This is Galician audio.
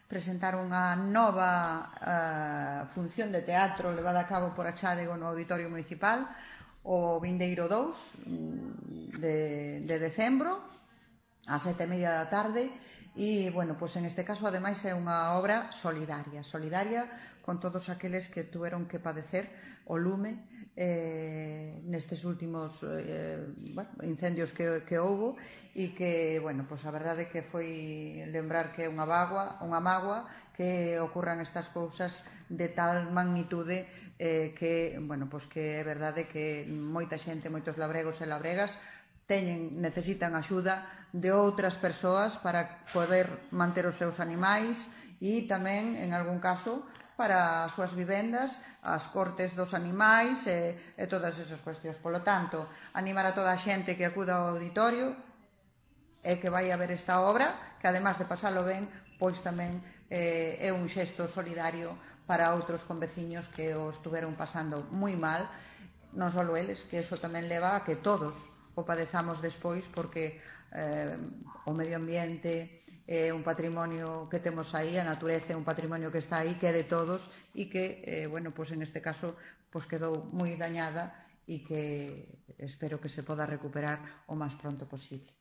presentar unha nova función de teatro levada a cabo por a Chádego no Auditorio Municipal o vindeiro 2 de decembro ás 7:30 da tarde e, bueno, pois en este caso, ademais, é unha obra solidaria con todos aqueles que tuveron que padecer o lume nestes últimos incendios que houbo e que, bueno, pois a verdade que foi lembrar que é unha mágoa que ocurran estas cousas de tal magnitude que, bueno, pois que é verdade que moita xente, moitos labregos e labregas necesitan axuda de outras persoas para poder manter os seus animais e tamén, en algún caso, para as súas vivendas, as cortes dos animais e todas esas cuestións. Polo tanto, animar a toda a xente que acuda ao auditorio e que vai a ver esta obra, que además de pasalo ben, pois tamén é un xesto solidario para outros conveciños que o estuveron pasando moi mal, non só eles, que eso tamén leva a que todos o padezamos despois, porque o medio ambiente é un patrimonio que temos aí, a natureza é un patrimonio que está aí, que é de todos e que, bueno, pois en este caso pois quedou moi dañada e que espero que se poda recuperar o máis pronto posible.